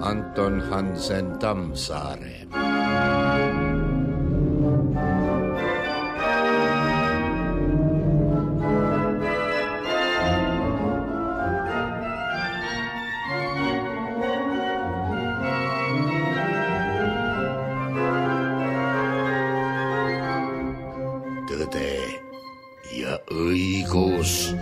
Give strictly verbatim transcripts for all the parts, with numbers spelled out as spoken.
Anton Hansen Tammsaare. Tõde ja õigus.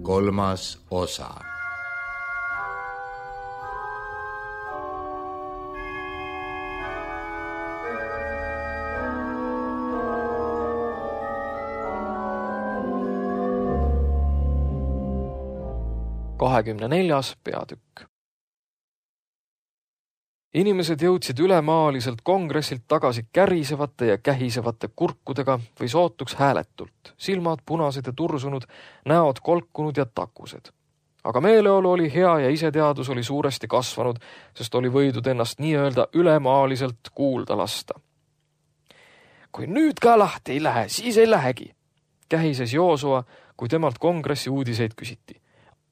Kolmas osa. kahekümne neljas peatükk. Inimesed jõudsid ülemaaliselt kongressilt tagasi kärisevate ja kähisevate kurkudega või sootuks hääletult, silmad punased ja tursunud, näod kolkunud ja takused. Aga meeleolu oli hea ja iseteadus oli suuresti kasvanud, sest oli võidud ennast nii-öelda ülemaaliselt kuulda lasta. Kui nüüd ka lahti ei lähe, siis ei lähegi, kähises Joosua, kui temalt kongressi uudiseid küsiti.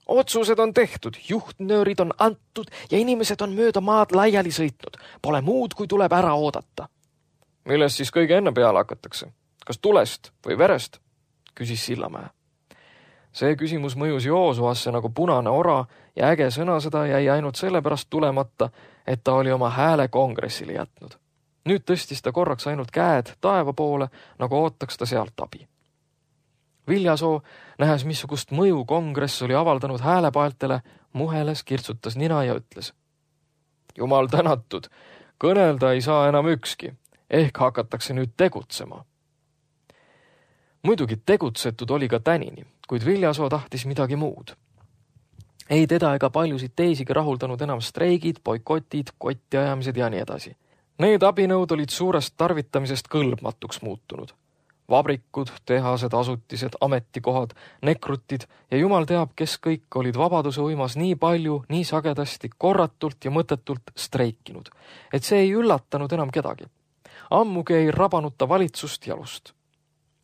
Otsused on tehtud, juhtnöörid on antud ja inimesed on mööda maad laiali sõitnud. Pole muud, kui tuleb ära oodata. Millest siis kõige enne peale hakatakse? Kas tulest või verest? Küsis Sillamäe. See küsimus mõjus Joosuasse nagu punane ora ja äge sõna seda jäi ainult sellepärast tulemata, et ta oli oma hääle kongressile jätnud. Nüüd tõstis ta korraks ainult käed taeva poole, nagu ootaks ta sealt abi. Viljasoo, nähes missugust mõju kongress oli avaldanud häälepaeltele, muheles, kirtsutas nina ja ütles. Jumal tänatud, kõnelda ei saa enam ükski, ehk hakatakse nüüd tegutsema. Muidugi tegutsetud oli ka tänini, kuid Viljasoo tahtis midagi muud. Ei teda ega paljusid teisigi rahuldanud enam streigid, boikotid, kottiajamised ja nii edasi. Need abinõud olid suurest tarvitamisest kõlbmatuks muutunud. Vabrikud, tehased, asutised, ametikohad, nekrutid ja jumal teab, kes kõik olid vabaduse uimas nii palju, nii sagedasti, korratult ja mõttetult streikinud, et see ei üllatanud enam kedagi. Ammugi ei rabanud ta valitsust jalust.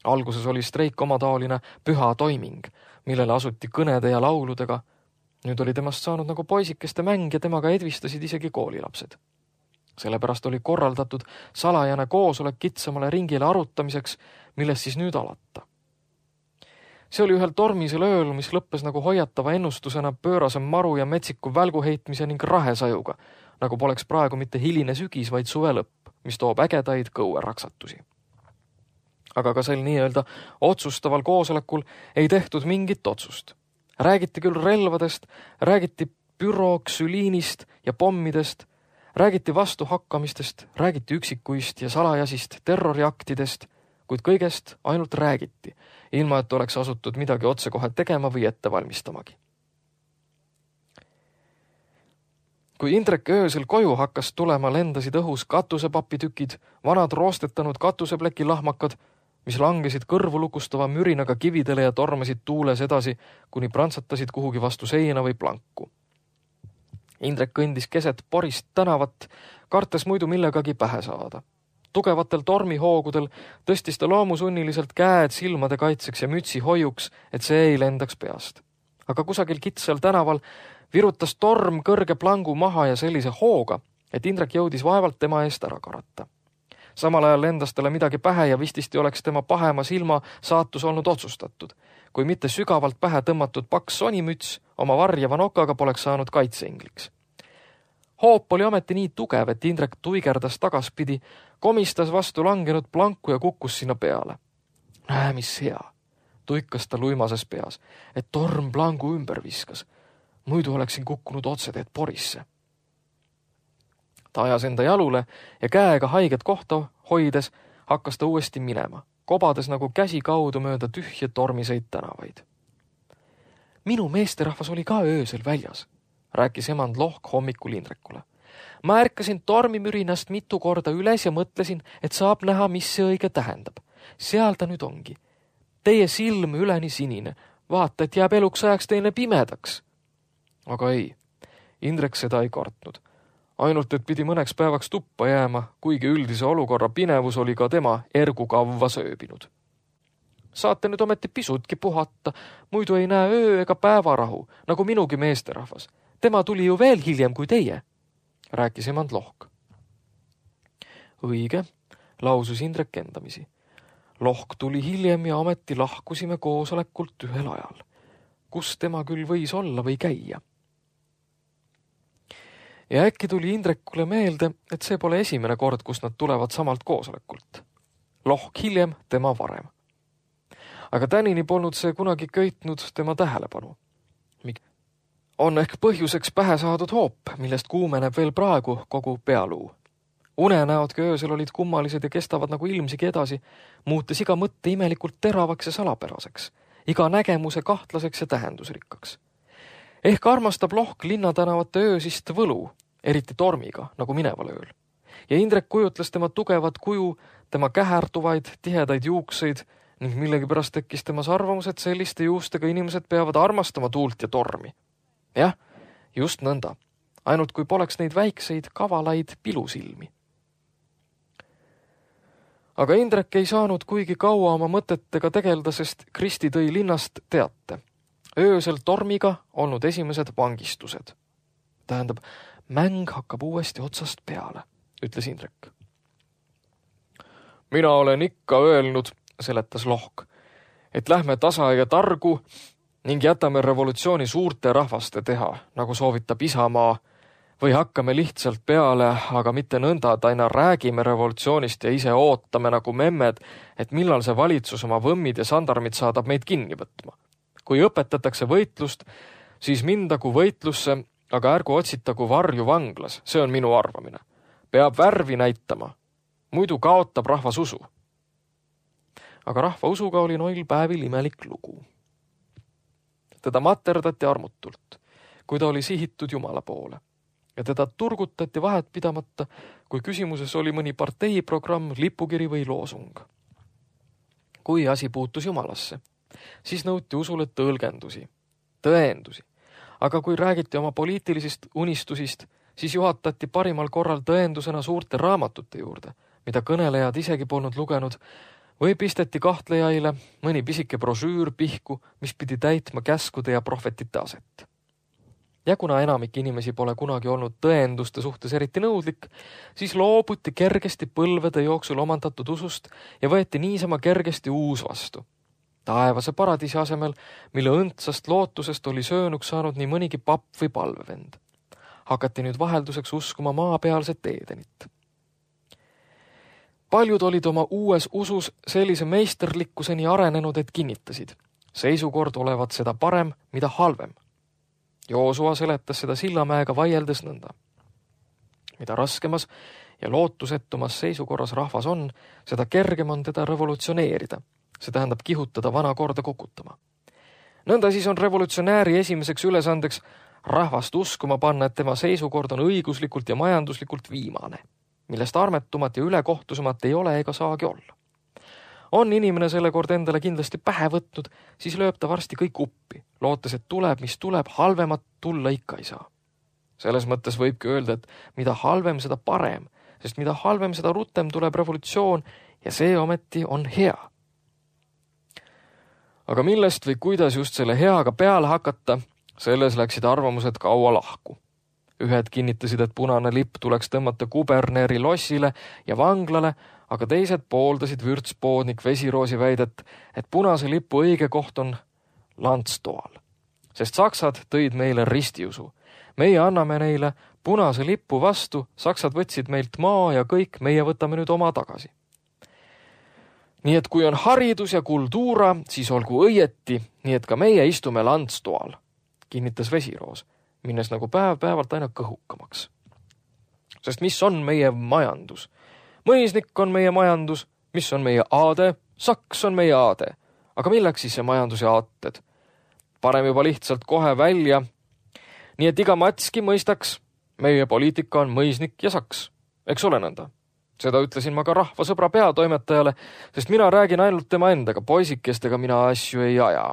Alguses oli streik omataoline püha toiming, millele asuti kõnede ja lauludega. Nüüd oli temast saanud nagu poisikeste mäng ja temaga edvistasid isegi koolilapsed. Sellepärast oli korraldatud salajane koosolek kitsamale ringile arutamiseks, millest siis nüüd alata. See oli ühel tormisel ööl, mis lõppes nagu hoiatava ennustusena pöörase maru ja metsiku välguheitmise ning rahesajuga, nagu poleks praegu mitte hiline sügis, vaid suve lõpp, mis toob ägedaid kõueraksatusi. Aga ka sel nii-öelda otsustaval koosolekul ei tehtud mingit otsust. Räägiti küll relvadest, räägiti püroksüliinist ja pommidest, räägiti vastuhakkamistest, räägiti üksikuist ja salajasist terroriaktidest, kuid kõigest ainult räägiti, ilma et oleks asutud midagi otsekohe tegema või ette valmistamagi. Kui Indrek öösel koju hakkas tulema, lendasid õhus katusepapitükid, vanad roostetanud katusepleki lahmakad, mis langesid kõrvu lukustava mürinaga kividele ja tormasid tuules edasi, kuni prantsatasid kuhugi vastu seina või planku. Indrek kõndis keset porist tänavat, kartes muidu millegagi pähe saada. Tugevatel tormihoogudel tõstis ta loomusunniliselt käed silmade kaitseks ja mütsi hoiuks, et see ei lendaks peast. Aga kusagil kitsal tänaval virutas torm kõrge plangu maha ja sellise hooga, et Indrek jõudis vaevalt tema eest ära karata. Samal ajal lendas talle midagi pähe ja vististi oleks tema pahema silma saatus olnud otsustatud. Kui mitte sügavalt pähe tõmmatud paks sonimüts, oma varjava nokaga poleks saanud kaitseingliks. Hoop oli ameti nii tugev, et Indrek tuigerdas tagaspidi, komistas vastu langenud planku ja kukkus sinna peale. Näe, mis hea, tuikas ta luimases peas, et torm plangu ümber viskas. Muidu oleksin kukkunud otseteed porisse. Ta ajas enda jalule ja käega haiget kohta hoides hakkas ta uuesti minema, kobades nagu käsi kaudu mööda tühje tormiseid tänavaid. Minu meesterahvas oli ka öösel väljas, rääkis emand Lohk hommikul Indrekule. Ma ärkasin tormimürinast mitu korda üles ja mõtlesin, et saab näha, mis see õige tähendab. Seal ta nüüd ongi. Teie silm üleni sinine. Vaata, et jääb eluks ajaks teine pimedaks. Aga ei, Indrek seda ei kartnud. Ainult, et pidi mõneks päevaks tuppa jääma, kuigi üldise olukorra pinevus oli ka tema ergu kavva sööbinud. Saate nüüd ometi pisutki puhata, muidu ei näe öö ega päevarahu, nagu minugi meesterahvas. Tema tuli ju veel hiljem kui teie, rääkis emand Lohk. Õige, lausus Indrek endamisi. Lohk tuli hiljem ja ometi lahkusime koosolekult ühel ajal. Kus tema küll võis olla või käia? Ja äkki tuli Indrekule meelde, et see pole esimene kord, kus nad tulevad samalt koosolekult. Lohk hiljem, tema varem. Aga tänini polnud see kunagi köitnud tema tähelepanu. On ehk põhjuseks pähe saadud hoop, millest kuumeneb veel praegu kogu pealuu. Unenäodki öösel olid kummalised ja kestavad nagu ilmsigi edasi, muutes iga mõtte imelikult teravaks ja salapäraseks, iga nägemuse kahtlaseks ja tähendusrikkaks. Ehk armastab Lohk linnatänavate öösist võlu, eriti tormiga, nagu mineval ööl. Ja Indrek kujutles tema tugevat kuju, tema kähertuvaid, tihedaid juukseid ning millegipärast tekkis temas arvamus, et selliste juustega inimesed peavad armastama tuult ja tormi. Jah, just nõnda, ainult kui poleks neid väikseid, kavalaid pilusilmi. Aga Indrek ei saanud kuigi kaua oma mõtetega tegelda, sest Kristi tõi linnast teate. Öösel tormiga olnud esimesed vangistused. Tähendab, mäng hakkab uuesti otsast peale, ütles Indrek. Mina olen ikka öelnud, seletas Lohk, et lähme tasa ja targu ning jätame revolutsiooni suurte rahvaste teha, nagu soovitab Isamaa, või hakkame lihtsalt peale, aga mitte nõnda, et aina räägime revolutsioonist ja ise ootame nagu memmed, et millal see valitsus oma võmmid ja sandarmid saadab meid kinni võtma. Kui õpetatakse võitlust, siis mindagu võitlusse, aga ärgu otsitagu varju vanglas, see on minu arvamine. Peab värvi näitama, muidu kaotab rahvas usu. Aga rahva usuga oli noil päevil imelik lugu. Teda materdati armutult, kui ta oli sihitud Jumala poole. Ja teda turgutati vahet pidamata, kui küsimuses oli mõni parteiprogramm, lipukiri või loosung. Kui asi puutus Jumalasse, siis nõuti usule tõlgendusi, tõendusi. Aga kui räägiti oma poliitilisest unistusist, siis juhatati parimal korral tõendusena suurte raamatute juurde, mida kõnelejad isegi polnud lugenud, või pisteti kahtlejaile mõni pisike brošüür pihku, mis pidi täitma käskude ja prohvetite aset. Ja kuna enamik inimesi pole kunagi olnud tõenduste suhtes eriti nõudlik, siis loobuti kergesti põlvede jooksul omandatud usust ja võeti niisama kergesti uus vastu. Taevase paradiisi asemel, mille õndsast lootusest oli söönuks saanud nii mõnigi papp või palvevend. Hakati nüüd vahelduseks uskuma maapealset Edenit. Paljud olid oma uues usus sellise meisterlikkuseni arenenud, et kinnitasid. Seisukord olevat seda parem, mida halvem. Joosua seletas seda Sillamäega vaieldes nõnda. Mida raskemas ja lootusettumas seisukorras rahvas on, seda kergem on teda revolutsioneerida. See tähendab kihutada vana korda kukutama. Nõnda siis on revolutsionääri esimeseks ülesandeks rahvast uskuma panna, et tema seisukord on õiguslikult ja majanduslikult viimane, millest armetumat ja ülekohtusemat ei ole ega saagi olla. On inimene selle kord endale kindlasti pähe võtnud, siis lööb ta varsti kõik uppi, lootes, et tuleb, mis tuleb, halvemat tulla ikka ei saa. Selles mõttes võibki öelda, et mida halvem, seda parem, sest mida halvem, seda rutem tuleb revolutsioon ja see ometi on hea. Aga millest või kuidas just selle heaga peale hakata, selles läksid arvamused kaua lahku. Ühed kinnitasid, et punane lipp tuleks tõmmata kuberneri lossile ja vanglale, aga teised pooldasid vürtspoodnik Vesiroosi väidet, et punase lipu õige koht on Landstoal. Sest saksad tõid meile ristiusu. Meie anname neile punase lipu vastu, saksad võtsid meilt maa ja kõik meie võtame nüüd oma tagasi. Nii et kui on haridus ja kultuura, siis olgu õieti, nii et ka meie istume Landstoal, kinnitas Vesiroos, minnes nagu päev päevalt aina kõhukamaks. Sest mis on meie majandus? Mõisnik on meie majandus, mis on meie aade, saks on meie aade. Aga milleks siis see majandus ja aated? Parem juba lihtsalt kohe välja. Nii et iga matski mõistaks, meie poliitika on mõisnik ja saks, eks ole nõnda. Seda ütlesin ma ka rahvasõbra peatoimetajale, sest mina räägin ainult tema endaga, poisikestega mina asju ei aja.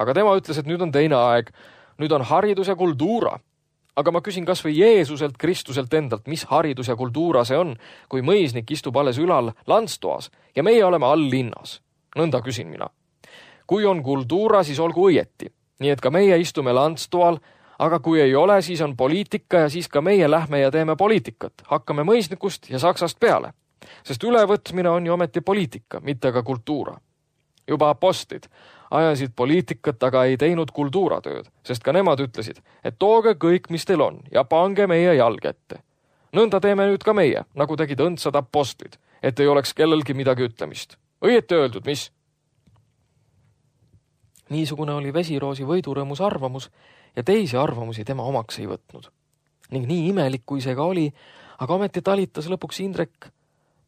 Aga tema ütles, et nüüd on teine aeg, nüüd on haridus ja kultuura. Aga ma küsin kas või Jeesuselt, Kristuselt endalt, mis haridus ja kultuura see on, kui mõisnik istub alles ülal landstoas ja meie oleme all linnas. Nõnda küsin mina. Kui on kultuura, siis olgu õieti. Nii et ka meie istume landstoal, aga kui ei ole, siis on poliitika ja siis ka meie lähme ja teeme poliitikat. Hakkame mõisnikust ja saksast peale. Sest ülevõtmine on ju ometi poliitika, mitte ka kultuura. Juba apostlid ajasid poliitikat, aga ei teinud kultuuratööd, sest ka nemad ütlesid, et tooge kõik, mis teil on ja pange meie jalg ette. Nõnda teeme nüüd ka meie, nagu tegid õndsad apostlid, et ei oleks kellelgi midagi ütlemist. Õieti öeldud, mis? Niisugune oli Vesiroosi võidurõõmus arvamus ja teisi arvamusi tema omaks ei võtnud. Ning nii imelik, kui see ka oli, aga ometi talitas lõpuks Indrek,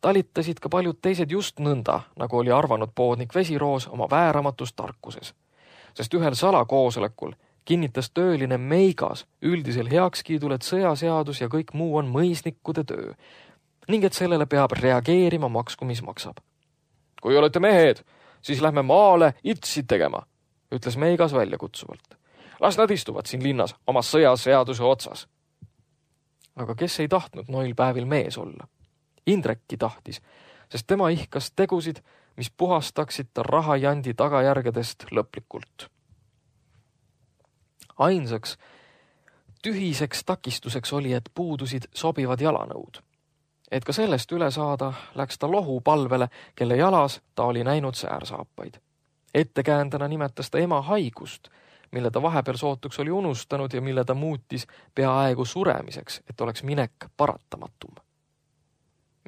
talitasid ka paljud teised just nõnda, nagu oli arvanud poodnik Vesiroos oma vääramatus tarkuses. Sest ühel salakoosolekul kinnitas tööline Meigas üldisel heakskiidul, et sõjaseadus ja kõik muu on mõisnikude töö ning et sellele peab reageerima maksku, mis maksab. Kui olete mehed, siis lähme maale itsid tegema, ütles Meigas väljakutsuvalt. Las nad istuvad siin linnas oma sõjaseaduse otsas. Aga kes ei tahtnud noil päevil mees olla? Indrekki tahtis, sest tema ihkas tegusid, mis puhastaksid ta rahajandi tagajärgedest lõplikult. Ainsaks tühiseks takistuseks oli, et puudusid sobivad jalanõud. Et ka sellest üle saada, läks ta lohu palvele, kelle jalas ta oli näinud säärsaapaid. Ettekäändena nimetas ta ema haigust, mille ta vahepeal sootuks oli unustanud ja mille ta muutis peaaegu suremiseks, et oleks minek paratamatum.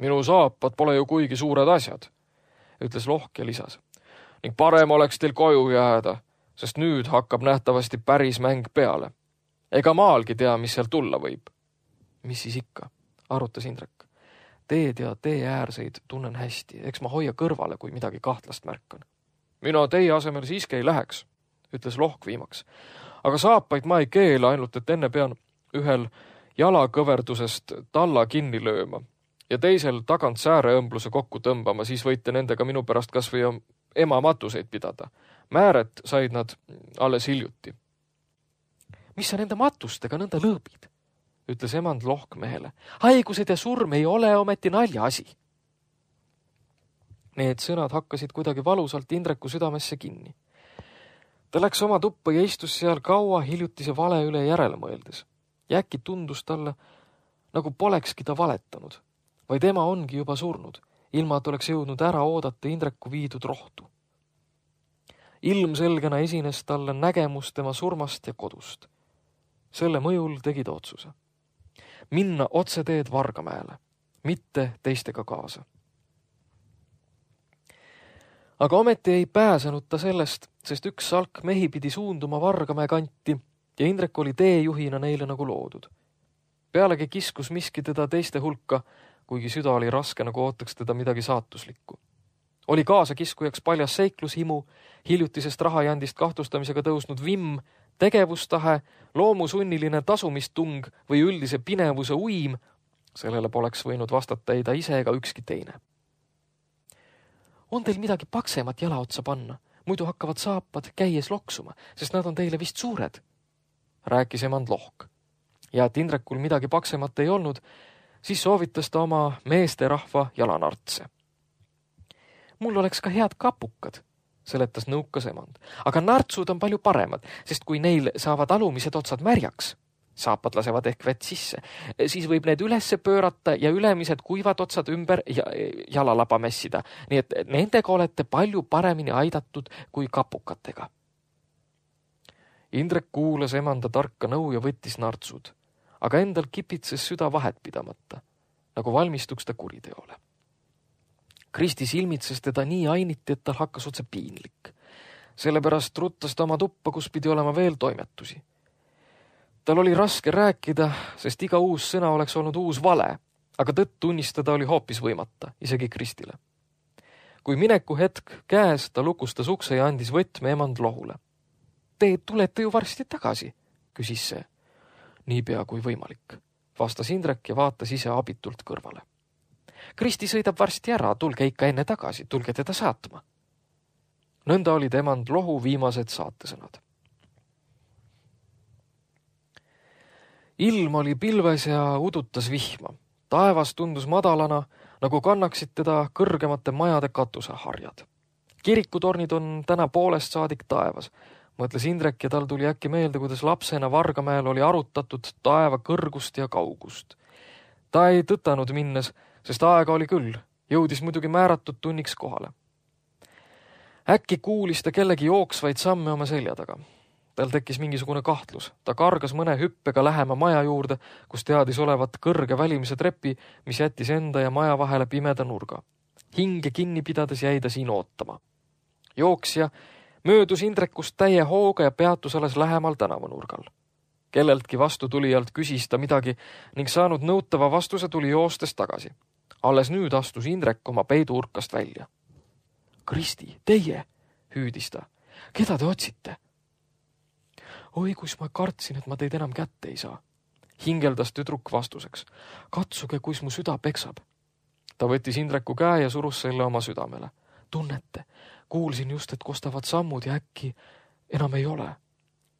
Minu saapad pole ju kuigi suured asjad, ütles Lohk ja lisas. Ning parem oleks teil koju jääda, sest nüüd hakkab nähtavasti päris mäng peale. Ega maalgi tea, mis seal tulla võib. Mis siis ikka, arutas Indrek. Teed ja tee äärseid tunnen hästi, eks ma hoia kõrvale, kui midagi kahtlast märkan. Mina teie asemel siiski ei läheks, ütles Lohk viimaks. Aga saapaid ma ei keela, ainult et enne pean ühel jalakõverdusest talla kinni lööma ja teisel tagant sääreõmbluse kokku tõmbama, siis võite nendega minu pärast kas või ema matuseid pidada. Määret said nad alles hiljuti. Mis sa nende matustega nõnda lõõbid, ütles emand Lohk mehele. Haigused ja surm ei ole ometi nalja asi. Need sõnad hakkasid kuidagi valusalt Indreku südamesse kinni. Ta läks oma tuppa ja istus seal kaua hiljutise vale üle järele mõeldes. Ja äkki tundus talle, nagu polekski ta valetanud, vaid ema ongi juba surnud, ilma et oleks jõudnud ära oodata Indreku viidud rohtu. Ilmselgena esines talle nägemus tema surmast ja kodust. Selle mõjul tegi ta otsuse. Minna otseteed Vargamäele, mitte teistega kaasa. Aga ometi ei pääsenud ta sellest, sest üks salk mehi pidi suunduma Vargamäe kanti ja Indrek oli teejuhina neile nagu loodud. Pealegi kiskus miski teda teiste hulka, kuigi süda oli raske, nagu ootaks teda midagi saatuslikku. Oli kaasa kiskujaks paljas seiklushimu, hiljutisest rahajandist kahtlustamisega tõusnud vimm, tegevustahe, loomusunniline tasumistung või üldise pinevuse uim, sellele poleks võinud vastata ei ta ise ega ükski teine. On teil midagi paksemat jala otsa panna, muidu hakkavad saapad käies loksuma, sest nad on teile vist suured, rääkis emand Lohk. Ja et Indrekul midagi paksemat ei olnud, siis soovitas ta oma meesterahva jalanartse. Mul oleks ka head kapukad, seletas nõukas emand, aga nartsud on palju paremad, sest kui neil saavad alumised otsad märjaks, saapad lasevad ehk vett sisse, siis võib need ülesse pöörata ja ülemised kuivad otsad ümber ja jalalaba messida, nii et nendega olete palju paremini aidatud kui kapukatega. Indrek kuulas emanda tarka nõu ja võttis nartsud, aga endal kipitses süda vahet pidamata, nagu valmistuks ta kuriteole. Kristi silmitses teda nii ainiti, et tal hakkas otse piinlik. Sellepärast ruttas ta oma tuppa, kus pidi olema veel toimetusi. Tal oli raske rääkida, sest iga uus sõna oleks olnud uus vale, aga tõtt tunnistada oli hoopis võimata, isegi Kristile. Kui mineku hetk käes, ta lukustas ukse ja andis võtme emand Lohule. Te tulete ju varsti tagasi, küsis see. Niipea kui võimalik, vastas Indrek ja vaatas ise abitult kõrvale. Kristi sõidab varsti ära, tulge ikka enne tagasi, tulge teda saatma. Nõnda oli emand lohu viimased saatesõnad. Ilm oli pilves ja udutas vihma. Taevas tundus madalana, nagu kannaksid teda kõrgemate majade katuseharjad. Kirikutornid on täna poolest saadik taevas, mõtles Indrek ja tal tuli äkki meelde, kuidas lapsena Vargamäel oli arutatud taeva kõrgust ja kaugust. Ta ei tõtanud minnes, sest aega oli küll, jõudis muidugi määratud tunniks kohale. Äkki kuulis ta kellegi jooksvaid samme oma selja taga. Tal tekkis mingisugune kahtlus. Ta kargas mõne hüppega lähema maja juurde, kus teadis olevat kõrge välimise trepi, mis jättis enda ja maja vahele pimeda nurga. Hinge kinni pidades jäi ta siin ootama. Jooksja möödus Indrekust täie hooga ja peatus alles lähemal tänavanurgal. Kelleltki vastu tulijalt küsis ta midagi ning saanud nõutava vastuse tuli joostes tagasi. Alles nüüd astus Indrek oma peiduurkast välja. Kristi, teie, hüüdis ta. Keda te otsite? Oi, kus ma kartsin, et ma teid enam kätte ei saa. Hingeldas tüdruk vastuseks. Katsuge, kus mu süda peksab. Ta võttis Indreku käe ja surus selle oma südamele. Tunnete, kuulsin just, et kostavad sammud ja äkki enam ei ole.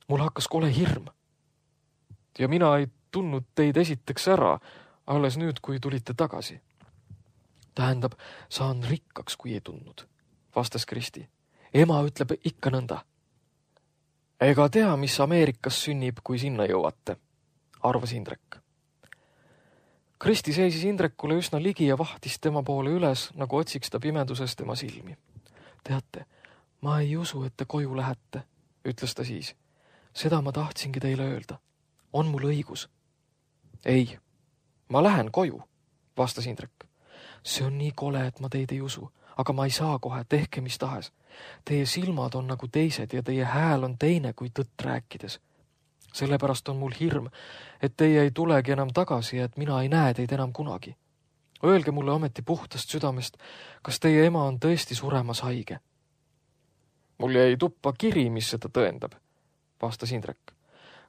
Mul hakkas kole hirm. Ja mina ei tundnud teid esiteks ära, alles nüüd, kui tulite tagasi. Tähendab, saan rikkaks, kui ei tundnud, vastas Kristi. Ema ütleb ikka nõnda. Ega tea, mis Ameerikas sünnib, kui sinna jõuate, arvas Indrek. Kristi seisis Indrekule üsna ligi ja vahtis tema poole üles, nagu otsiks ta pimeduses tema silmi. Teate, ma ei usu, et te koju lähete, ütles ta siis. Seda ma tahtsingi teile öelda. On mul õigus? Ei, ma lähen koju, vastas Indrek. See on nii kole, et ma teid ei usu, aga ma ei saa kohe, tehke mis tahes. Teie silmad on nagu teised ja teie hääl on teine kui tõtt rääkides. Sellepärast on mul hirm, et teie ei tulegi enam tagasi ja et mina ei näe teid enam kunagi. Öelge mulle ometi puhtast südamest, kas teie ema on tõesti suremas haige? Mul jäi tuppa kiri, mis seda tõendab, vastas Indrek.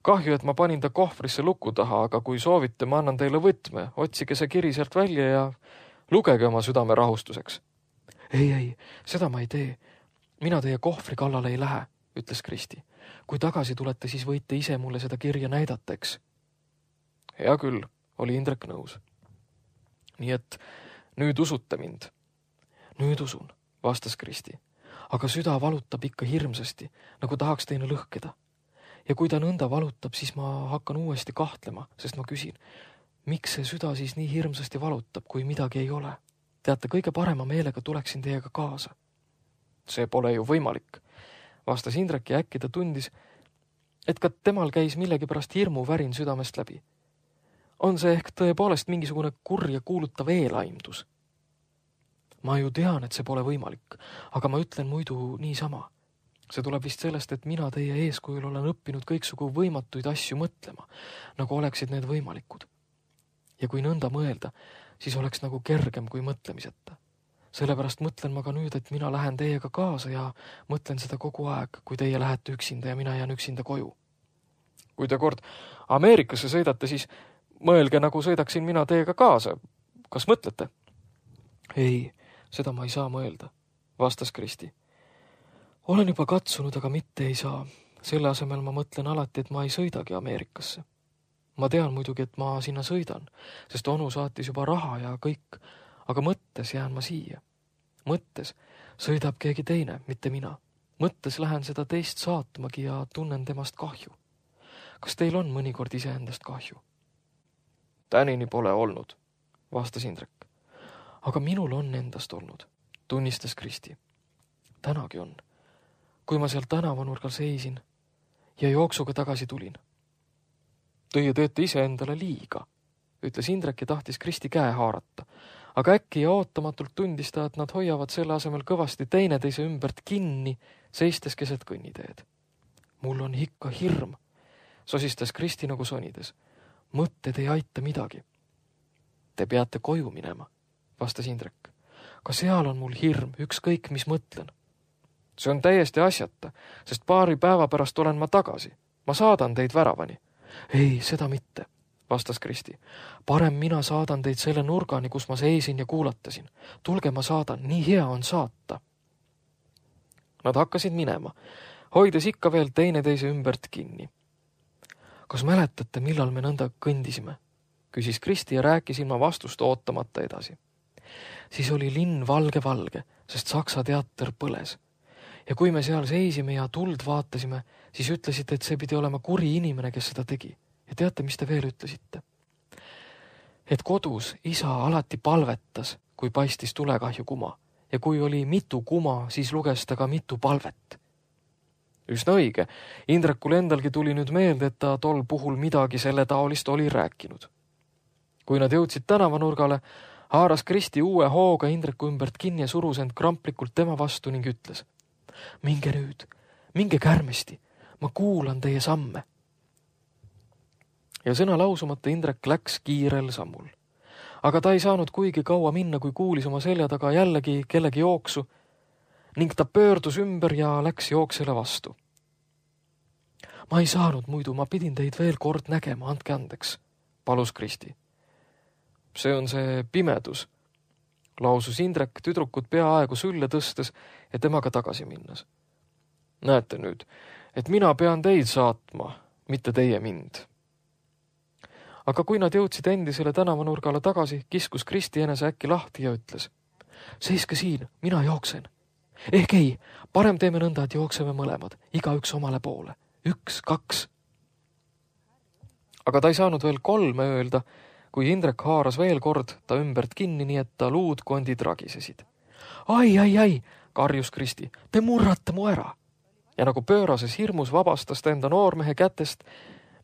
Kahju, et ma panin ta kohvrisse luku taha, aga kui soovite, ma annan teile võtme, otsige see kiri sealt välja ja lugege oma südame rahustuseks. Ei, ei, seda ma ei tee. Mina teie kohvri kallale ei lähe, ütles Kristi. Kui tagasi tulete, siis võite ise mulle seda kirja näidata, eks? Hea küll, oli Indrek nõus. Nii et nüüd usute mind. Nüüd usun, vastas Kristi. Aga süda valutab ikka hirmsasti, nagu tahaks teine lõhkeda. Ja kui ta nõnda valutab, siis ma hakkan uuesti kahtlema, sest ma küsin, miks see süda siis nii hirmsasti valutab, kui midagi ei ole? Teate, kõige parema meelega tuleksin teiega kaasa. See pole ju võimalik, vastas Indrek ja äkki ta tundis, et ka temal käis millegi pärast hirmu värin südamest läbi. On see ehk tõepoolest mingisugune kurja kuulutav eelaimdus? Ma ju tean, et see pole võimalik, aga ma ütlen muidu niisama. See tuleb vist sellest, et mina teie eeskujul olen õppinud kõiksugu võimatuid asju mõtlema, nagu oleksid need võimalikud. Ja kui nõnda mõelda, siis oleks nagu kergem kui mõtlemiseta. Sellepärast mõtlen ma ka nüüd, et mina lähen teiega kaasa ja mõtlen seda kogu aeg, kui teie lähete üksinda ja mina jään üksinda koju. Kui te kord Ameerikasse sõidate, siis mõelge, nagu sõidaksin mina teiega kaasa. Kas mõtlete? Ei, seda ma ei saa mõelda, vastas Kristi. Olen juba katsunud, aga mitte ei saa. Selle asemel ma mõtlen alati, et ma ei sõidagi Ameerikasse. Ma tean muidugi, et ma sinna sõidan, sest onu saatis juba raha ja kõik, aga mõttes jään ma siia. Mõttes sõidab keegi teine, mitte mina. Mõttes lähen seda teist saatmagi ja tunnen temast kahju. Kas teil on mõnikord iseendast kahju? Tänini pole olnud, vastas Indrek. Aga minul on endast olnud, tunnistas Kristi. Tänagi on, kui ma seal tänavanurgal seisin ja jooksuga tagasi tulin. Teie teete ise endale liiga, ütles Indrek ja tahtis Kristi käe haarata. Aga äkki ja ootamatult tundis ta, et nad hoiavad selle asemel kõvasti teineteise ümbert kinni, seistes keset kõnniteed. Mul on ikka hirm, sosistas Kristi nagu sonides. Mõtted ei aita midagi. Te peate koju minema, vastas Indrek. Ka seal on mul hirm, ükskõik mis mõtlen. See on täiesti asjata, sest paari päeva pärast olen ma tagasi. Ma saadan teid väravani. Ei, seda mitte, vastas Kristi. Parem mina saadan teid selle nurgani, kus ma seisin ja kuulatasin. Tulge, ma saadan, nii hea on saata. Nad hakkasid minema, hoides ikka veel teineteise ümbert kinni. Kas mäletate, millal me nõnda kõndisime? Küsis Kristi ja rääkis ilma vastust ootamata edasi. Siis oli linn valge-valge, sest Saksa teater põles. Ja kui me seal seisime ja tuld vaatasime, siis ütlesite, et see pidi olema kuri inimene, kes seda tegi. Ja teate, mis te veel ütlesite? Et kodus isa alati palvetas, kui paistis tulekahju kuma. Ja kui oli mitu kuma, siis luges ta ka mitu palvet. Üsna õige. Indrekul endalgi tuli nüüd meelde, et ta tol puhul midagi selle taolist oli rääkinud. Kui nad jõudsid tänavanurgale, haaras Kristi uue hooga Indreku ümbert kinni ja surus end kramplikult tema vastu ning ütles. Minge nüüd, minge kärmesti, ma kuulan teie samme. Ja sõna lausumata Indrek läks kiirel sammul. Aga ta ei saanud kuigi kaua minna, kui kuulis oma selja taga jällegi kellegi jooksu ning ta pöördus ümber ja läks jooksele vastu. Ma ei saanud muidu, ma pidin teid veel kord nägema, andke andeks, palus Kristi. See on see pimedus, lausus Indrek tüdrukut peaaegu sülle tõstes ja temaga tagasi minnes. Näete nüüd, et mina pean teid saatma, mitte teie mind. Aga kui nad jõudsid endisele tänavanurgale tagasi, kiskus Kristi enese äkki lahti ja ütles. Seiske siin, mina jooksen. Ehk ei, parem teeme nõnda, et jookseme mõlemad, igaüks omale poole. Üks, kaks. Aga ta ei saanud veel kolme öelda, kui Indrek haaras veel kord ta ümbert kinni, nii et ta luudkondid ragisesid. Ai, ai, ai, karjus Kristi, te murrate mu ära. Ja nagu pöörases hirmus vabastas ta enda noormehe kätest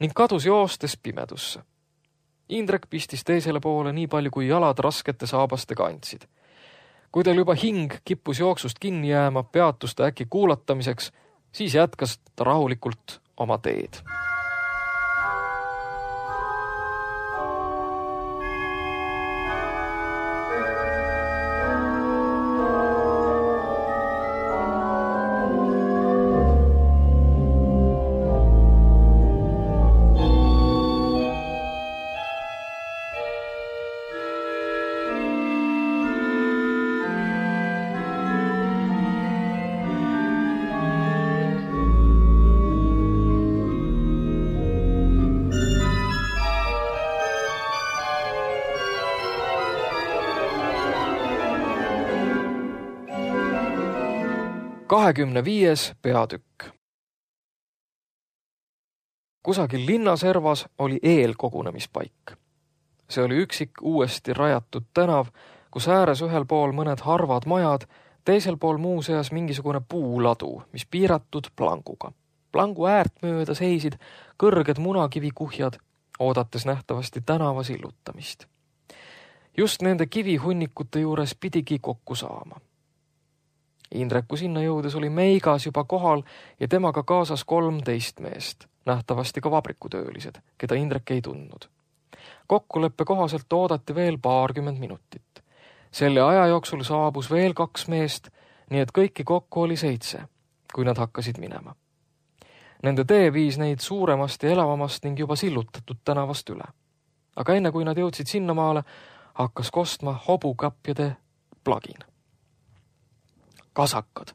ning kadus joostes pimedusse. Indrek pistis teisele poole nii palju, kui jalad raskete saabastega andsid. Kui teil juba hing kippus jooksust kinni jääma, peatus ta äkki kuulatamiseks, siis jätkas ta rahulikult oma teed. kahekümne viies peatükk. Kusagil linnaservas oli eelkogunemispaik. See oli üksik uuesti rajatud tänav, kus ääres ühel pool mõned harvad majad, teisel pool muuseas mingisugune puuladu, mis piiratud planguga. Plangu äärt mööda seisid kõrged munakivikuhjad, oodates nähtavasti tänava sillutamist. Just nende kivihunnikute juures pidigi kokku saama. Indreku sinna jõudes oli Meigas juba kohal ja temaga kaasas kolmteist meest, nähtavasti ka vabrikutöölised, keda Indrek ei tundnud. Kokkuleppe kohaselt oodati veel paarkümmend minutit. Selle aja jooksul saabus veel kaks meest, nii et kõiki kokku oli seitse, kui nad hakkasid minema. Nende tee viis neid suuremast ja elavamast ning juba sillutatud tänavast üle. Aga enne kui nad jõudsid sinnamaale, hakkas kostma hobukapjade plagin. Kasakad,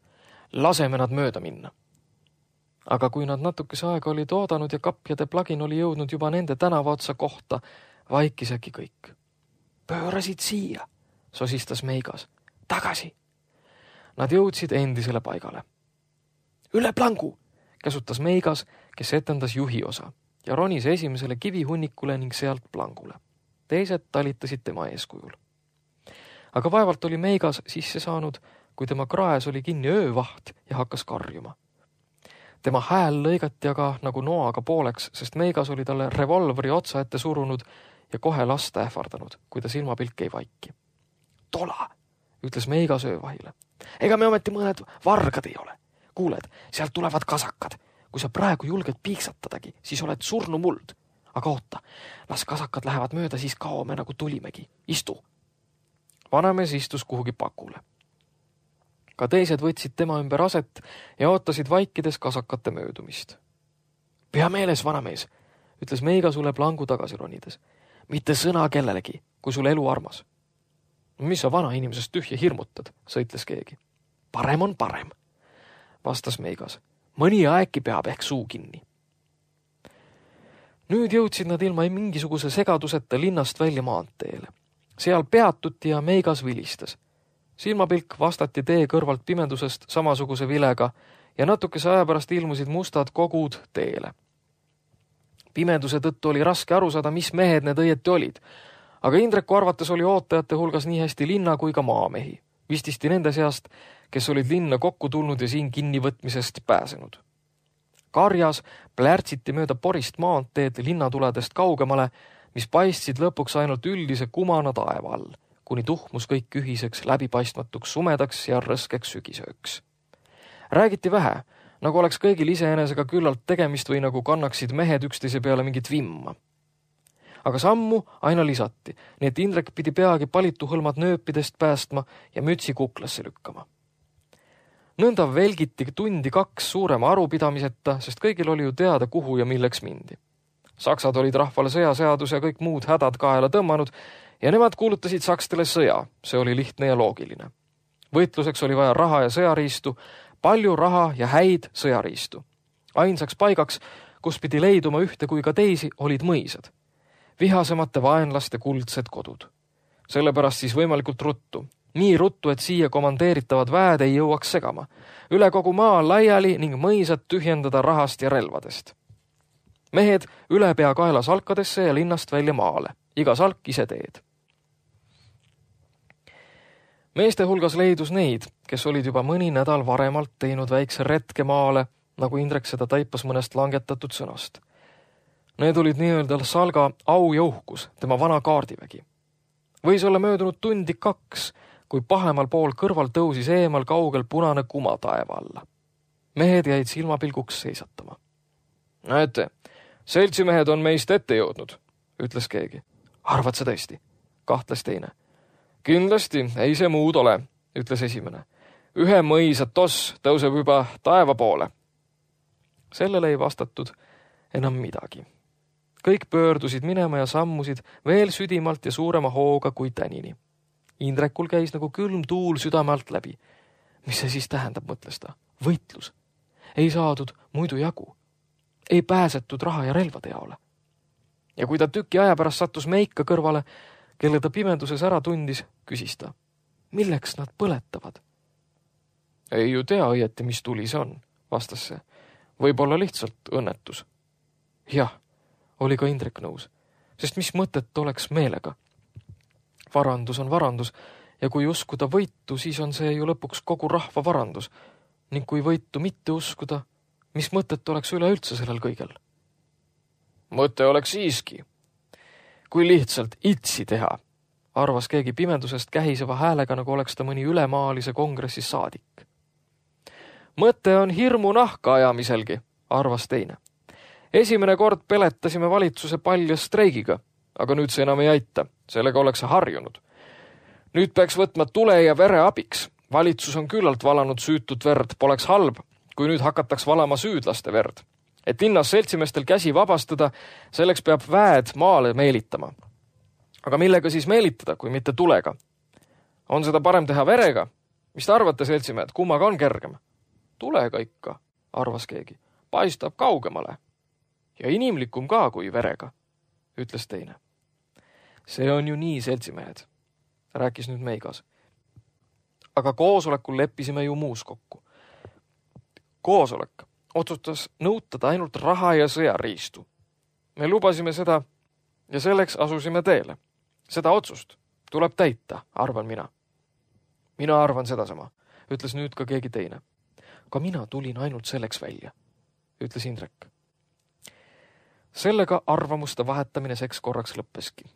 laseme nad mööda minna. Aga kui nad natukese aega olid oodanud ja kapjade plagin oli jõudnud juba nende tänavaotsa kohta, vaikis äkki kõik. Pöörasid siia, sosistas Meigas. Tagasi. Nad jõudsid endisele paigale. Üle plangu, käsutas Meigas, kes etendas juhi osa ja ronis esimesele kivihunnikule ning sealt plangule. Teised talitasid tema eeskujul. Aga vaevalt oli Meigas sisse saanud, kui tema kraes oli kinni öövaht ja hakkas karjuma. Tema hääl lõigati aga nagu noaga pooleks, sest Meigas oli talle revolveri otsa ette surunud ja kohe lasta ähvardanud, kui ta silmapilk ei vaiki. Tola, ütles Meigas öövahile. Ega me ometi mõned vargad ei ole. Kuuled, sealt tulevad kasakad. Kui sa praegu julged piiksatadagi, siis oled surnu muld. Aga oota, las kasakad lähevad mööda, siis kaome nagu tulimegi. Istu. Vanamees istus kuhugi pakule. Ka teised võtsid tema ümber aset ja ootasid vaikides kasakate möödumist. Pea meeles, vanamees, ütles Meigas üle plangu tagasi ronides. Mitte sõna kellelegi, kui sul elu armas. Mis sa vana inimesest tühja hirmutad, sõitles keegi. Parem on parem, vastas Meigas. Mõni aegki peab ehk suu kinni. Nüüd jõudsid nad ilma mingisuguse segaduseta linnast välja maanteele. Seal peatuti ja Meigas vilistas. Silmapilk vastati tee kõrvalt pimendusest samasuguse vilega ja natukese aja pärast ilmusid mustad kogud teele. Pimenduse tõttu oli raske aru saada, mis mehed need õieti olid, aga Indreku arvates oli ootajate hulgas nii hästi linna kui ka maamehi, vististi nende seast, kes olid linna kokku tulnud ja siin kinnivõtmisest pääsenud. Karjas plärtsiti mööda porist maanteed linnatuledest kaugemale, mis paistsid lõpuks ainult üldise kumana taeva all, kuni tuhmus kõik ühiseks läbipaistmatuks sumedaks ja rõskeks sügisööks. Räägiti vähe, nagu oleks kõigil iseenesega küllalt tegemist või nagu kannaksid mehed üksteise peale mingit vimma. Aga sammu aina lisati, nii et Indrek pidi peagi palitu hõlmad nööpidest päästma ja mütsi kuklasse lükkama. Nõnda velgiti tundi kaks suurema arupidamiseta, sest kõigil oli ju teada, kuhu ja milleks mindi. Saksad olid rahvale sõjaseadus ja kõik muud hädad kaela tõmmanud ja nemad kuulutasid sakstele sõja, see oli lihtne ja loogiline. Võitluseks oli vaja raha ja sõjariistu, palju raha ja häid sõjariistu. Ainsaks paigaks, kus pidi leiduma ühte kui ka teisi, olid mõisad. Vihasemate vaenlaste kuldsed kodud. Sellepärast siis võimalikult ruttu. Nii ruttu, et siia komandeeritavad väed ei jõuaks segama. Üle kogu maa laiali ning mõisad tühjendada rahast ja relvadest. Mehed üle pea kaela salkadesse ja linnast välja maale. Iga salk ise teed. Meeste hulgas leidus neid, kes olid juba mõni nädal varemalt teinud väikse retke maale, nagu Indrek seda taipas mõnest langetatud sõnast. Need olid nii-öelda salga au ja uhkus, tema vana kaardivägi. Võis olla möödunud tundi kaks, kui pahemal pool kõrval tõusis eemal kaugel punane kuma taeva alla. Mehed jäid silmapilguks seisatama. Näete, seltsimehed on meist ette jõudnud, ütles keegi. Arvad sa tõesti? Kahtles teine. Kindlasti ei see muud ole, ütles esimene. Ühe mõisa toss tõuseb juba taeva poole. Sellele ei vastatud enam midagi. Kõik pöördusid minema ja sammusid veel südimalt ja suurema hooga kui tänini. Indrekul käis nagu külm tuul südame alt läbi. Mis see siis tähendab, mõtles ta? Võitlus. Ei saadud muidu jagu. Ei pääsetud raha ja relvade jaole. Ja kui ta tüki aja pärast sattus Meika kõrvale, kelle ta pimenduses ära tundis, küsis ta. Milleks nad põletavad? Ei ju tea õieti, mis tuli see on, vastas see. Võib-olla lihtsalt õnnetus. Jah, oli ka Indrek nõus, sest mis mõtet oleks meelega? Varandus on varandus ja kui uskuda võitu, siis on see ju lõpuks kogu rahva varandus ning kui võitu mitte uskuda, mis mõtet oleks üleüldse sellel kõigel? Mõte oleks siiski. Kui lihtsalt itsi teha, arvas keegi pimendusest kähiseva häälega, nagu oleks ta mõni ülemaalise kongressis saadik. Mõte on hirmu nahka ajamiselgi, arvas teine. Esimene kord peletasime valitsuse palja streigiga, aga nüüd see enam ei aita, sellega oleks harjunud. Nüüd peaks võtma tule ja vere abiks. Valitsus on küllalt valanud süütut verd, poleks halb, kui nüüd hakataks valama süüdlaste verd. Et linnas seltsimeestel käsi vabastada, selleks peab väed maale meelitama. Aga millega siis meelitada, kui mitte tulega? On seda parem teha verega? Mis te arvate, seltsimehed, kummaga on kergem? Tulega ikka, arvas keegi. Paistab kaugemale. Ja inimlikum ka kui verega, ütles teine. See on ju nii, seltsimehed, rääkis nüüd Meigas. Aga koosolekul leppisime ju muus kokku. Koosolek otsustas nõutada ainult raha ja sõjariistu. Me lubasime seda ja selleks asusime teele. Seda otsust tuleb täita, arvan mina. Mina arvan sedasama, ütles nüüd ka keegi teine. Ka mina tulin ainult selleks välja, ütles Indrek. Sellega arvamuste vahetamine seks korraks lõppeski.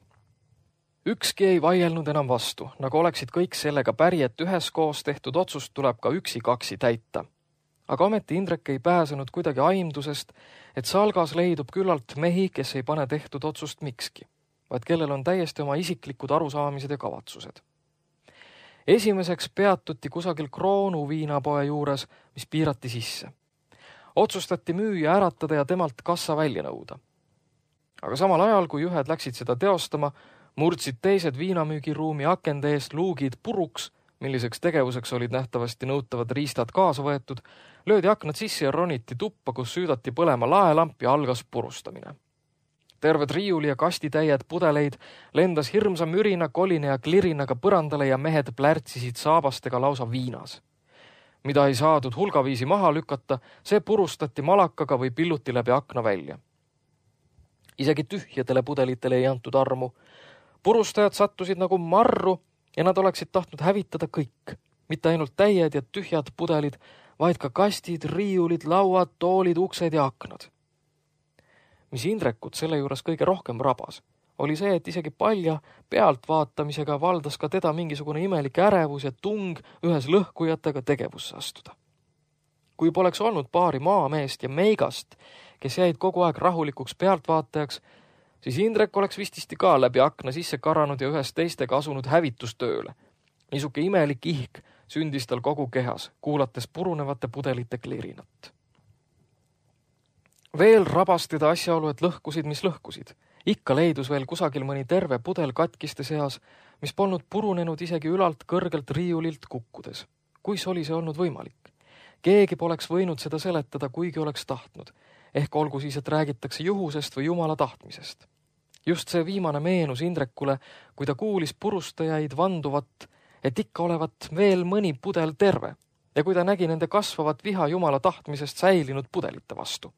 Ükski ei vaielnud enam vastu, nagu oleksid kõik sellega päri, et üheskoos tehtud otsust tuleb ka üksi-kaksi täita. Aga ometi Indrek ei pääsenud kuidagi aimdusest, et salgas leidub küllalt mehi, kes ei pane tehtud otsust mikski, vaid kellel on täiesti oma isiklikud arusaamised ja kavatsused. Esimeseks peatuti kusagil Kroonu viinapoe juures, mis piirati sisse. Otsustati müüa äratada ja temalt kassa välja nõuda. aga samal ajal, kui ühed läksid seda teostama, murdsid teised viinamüügiruumi akende eest luugid puruks, milliseks tegevuseks olid nähtavasti nõutavad riistad kaasa võetud, löödi aknad sisse ja roniti tuppa, kus süüdati põlema laelamp ja algas purustamine. Terved riiuli ja kastitäied pudeleid lendas hirmsa mürina, koline ja klirinaga põrandale ja mehed plärtsisid saabastega lausa viinas. Mida ei saadud hulgaviisi maha lükata, see purustati malakaga või pilluti läbi akna välja. Isegi tühjadele pudelitele ei antud armu. Purustajad sattusid nagu marru ja nad oleksid tahtnud hävitada kõik. Mitte ainult täied ja tühjad pudelid, vaid ka kastid, riiulid, lauad, toolid, uksed ja aknad. Mis Indrekut selle juures kõige rohkem rabas, oli see, et isegi palja pealtvaatamisega valdas ka teda mingisugune imelik ärevus ja tung ühes lõhkujatega tegevusse astuda. Kui poleks olnud paari maameest ja meigast, kes jäid kogu aeg rahulikuks pealtvaatajaks, siis Indrek oleks vististi ka läbi akna sisse karanud ja ühes teistega asunud hävitustööle. Niisuke imelik ihk sündis tal kogu kehas, kuulates purunevate pudelite klirinat. Veel rabas teda asjaolu, et lõhkusid, mis lõhkusid. Ikka leidus veel kusagil mõni terve pudel katkiste seas, mis polnud purunenud isegi ülalt kõrgelt riiulilt kukkudes. Kuis oli see olnud võimalik? Keegi poleks võinud seda seletada, kuigi oleks tahtnud. Ehk olgu siis, et räägitakse juhusest või jumala tahtmisest. Just see viimane meenus Indrekule, kui ta kuulis purustajaid vanduvat, et ikka olevat veel mõni pudel terve ja kui ta nägi nende kasvavat viha jumala tahtmisest säilinud pudelite vastu.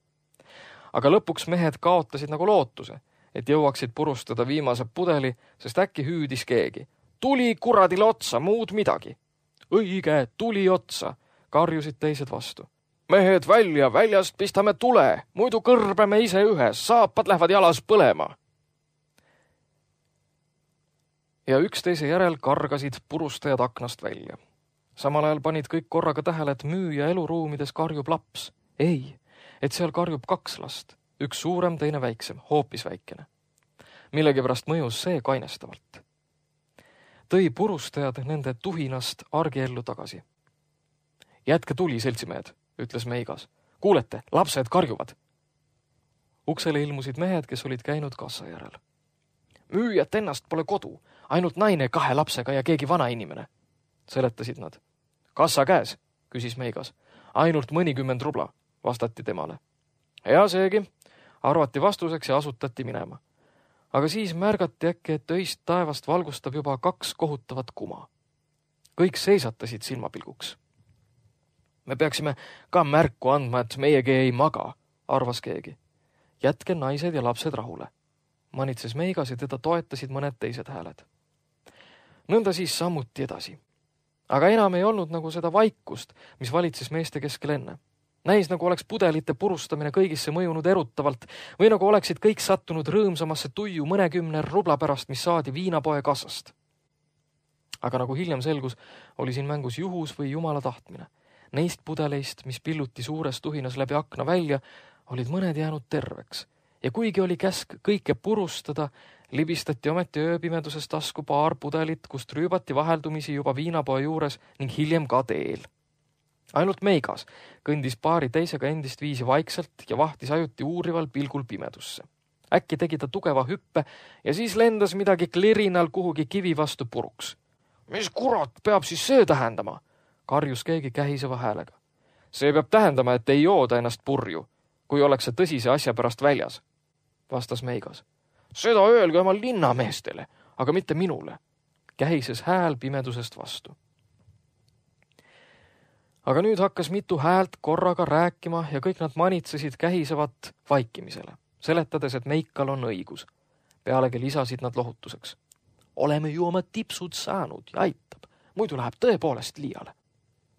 Aga lõpuks mehed kaotasid nagu lootuse, et jõuaksid purustada viimase pudeli, sest äkki hüüdis keegi. Tuli kuradile otsa, muud midagi. Õige, tuli otsa, karjusid teised vastu. Mehed välja, väljast pistame tule, muidu kõrbeme ise ühes, saapad lähevad jalas põlema. Ja üksteise järel kargasid purustajad aknast välja. Samal ajal panid kõik korraga tähele, et müüja eluruumides karjub laps. Ei, et seal karjub kaks last, üks suurem, teine väiksem, hoopis väikene. Millegipärast mõjus see kainestavalt. Tõi purustajad nende tuhinast argiellu tagasi. Jätke tuli, seltsimehed, ütles meigas. Kuulete, lapsed karjuvad. Uksele ilmusid mehed, kes olid käinud kassa järel. Müüjat ennast pole kodu, ainult naine kahe lapsega ja keegi vana inimene, seletasid nad. Kassa käes, küsis meigas. Ainult mõnikümmend rubla, vastati temale. Ja seegi, arvati vastuseks ja asutati minema. Aga siis märgati äkki, et öist taevast valgustab juba kaks kohutavat kuma. Kõik seisatasid silmapilguks. Me peaksime ka märku andma, et meiegi ei maga, arvas keegi. Jätke naised ja lapsed rahule. Manitses meigas ja teda toetasid mõned teised hääled. Nõnda siis sammuti edasi. Aga enam ei olnud nagu seda vaikust, mis valitses meeste keskel enne. Näis nagu oleks pudelite purustamine kõigisse mõjunud erutavalt või nagu oleksid kõik sattunud rõõmsamasse tuju mõnekümne rubla pärast, mis saadi viinapoe kassast. Aga nagu hiljem selgus, oli siin mängus juhus või jumala tahtmine. Neist pudeleist, mis pilluti suures tuhinas läbi akna välja, olid mõned jäänud terveks. Ja kuigi oli käsk kõike purustada, libistati ometi ööpimeduses tasku paar pudelit, kust rüübati vaheldumisi juba viinapoe juures ning hiljem ka teel. Ainult meigas kõndis paari teisega endist viisi vaikselt ja vahtis ajuti uurival pilgul pimedusse. Äkki tegi ta tugeva hüppe ja siis lendas midagi klirinal kuhugi kivi vastu puruks. Mis kurat peab siis see tähendama? Karjus keegi kähiseva häälega. See peab tähendama, et ei jooda ennast purju, kui ollakse tõsise asja pärast väljas, vastas meigas. Seda öelge oma linnameestele, aga mitte minule, kähises hääl pimedusest vastu. Aga nüüd hakkas mitu häält korraga rääkima ja kõik nad manitsesid kähisevat vaikimisele, seletades, et Meikal on õigus. Pealegi lisasid nad lohutuseks. Oleme ju oma tipsud saanud ja aitab, muidu läheb tõepoolest liiale.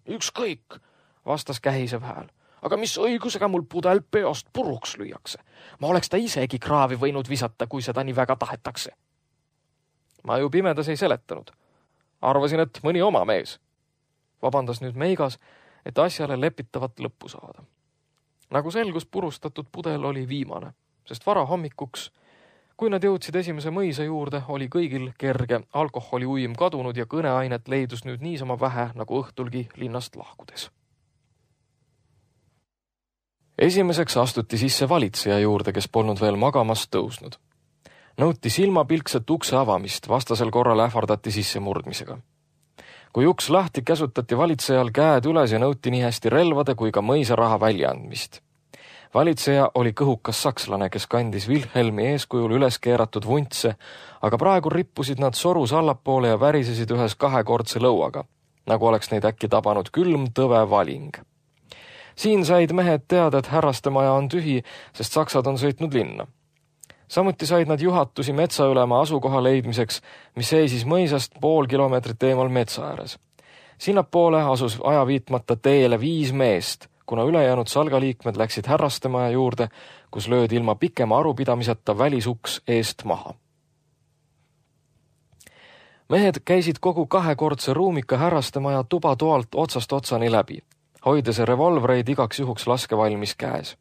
Ükskõik, vastas kähisev hääl, aga mis õigusega mul pudel peost puruks lüüakse? Ma oleks ta isegi kraavi võinud visata, kui seda nii väga tahetakse. Ma ju pimedas ei seletanud. Arvasin, et mõni oma mees. Vabandas nüüd meigas, et asjale lepitavat lõppu saada. Nagu selgus, purustatud pudel oli viimane, sest vara hommikuks, kui nad jõudsid esimese mõisa juurde, oli kõigil kerge alkoholi uim kadunud ja kõneainet leidus nüüd niisama vähe nagu õhtulgi linnast lahkudes. Esimeseks astuti sisse valitseja juurde, kes polnud veel magamast tõusnud. Nõuti silmapilkset ukse avamist, vastasel korral ähvardati sissemurdmisega. Kui uks lahti käsutati valitsejal käed üles ja nõuti nii hästi relvade kui ka mõisaraha väljaandmist. Valitseja oli kõhukas sakslane, kes kandis Wilhelmi eeskujul üles keeratud vuntse, aga praegu rippusid nad sorus allapoole ja värisesid ühes kahekordse lõuaga, nagu oleks neid äkki tabanud külm tõve valing. Siin said mehed teada, et härrastemaja on tühi, sest saksad on sõitnud linna. Samuti said nad juhatusi metsaülema asukoha leidmiseks, mis seisis mõisast pool kilomeetrit eemal metsa ääres. Sinnapoole asus ajaviitmata teele viis meest, kuna ülejäänud salgaliikmed läksid härrastemaja juurde, kus löödi ilma pikema arupidamiseta välisuks eest maha. Mehed käisid kogu kahekordse ruumika härrastemaja tuba toalt otsast otsani läbi, hoides revolvreid igaks juhuks laskevalmis käes.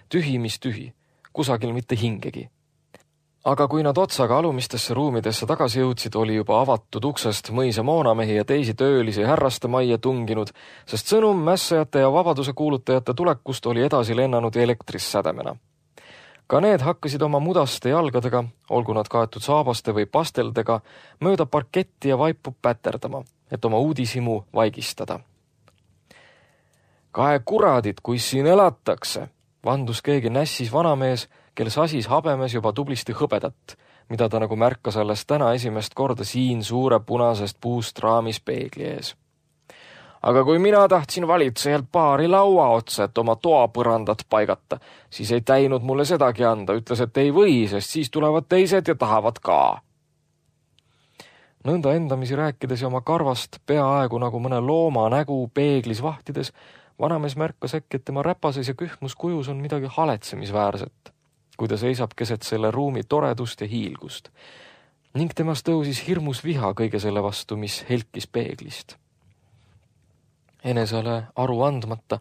Tühi, mis tühi, kusagil mitte hingegi. Aga kui nad otsaga alumistesse ruumidesse tagasi jõudsid, oli juba avatud uksest mõisa moonamehi ja teisi töölisi härrastemajja tunginud, sest sõnum mässajate ja vabaduse kuulutajate tulekust oli edasi lennanud elektris sädemena. Ka need hakkasid oma mudaste jalgadega, olgu nad kaetud saabaste või pasteldega, mööda parketti ja vaipu päterdama, et oma uudishimu vaigistada. Kahe kuradid, kui siin elatakse, vandus keegi nässis vanamees, kel sasis habemes juba tublisti hõbedat, mida ta nagu märkas alles täna esimest korda siin suure punasest puust raamis peegli ees. Aga kui mina tahtsin valitsejalt paari laua otsa, et oma toapõrandat paigata, siis ei täinud mulle sedagi anda, ütles, et ei või, sest siis tulevad teised ja tahavad ka. Nõnda endamisi rääkides ja oma karvast peaaegu nagu mõne looma nägu peeglis vahtides, vanamees märkas äkki, et tema räpases ja kühmus kujus on midagi haletsemisväärset, kui ta seisab keset selle ruumi toredust ja hiilgust, ning temast tõusis hirmus viha kõige selle vastu, mis helkis peeglist. Enesele aru andmata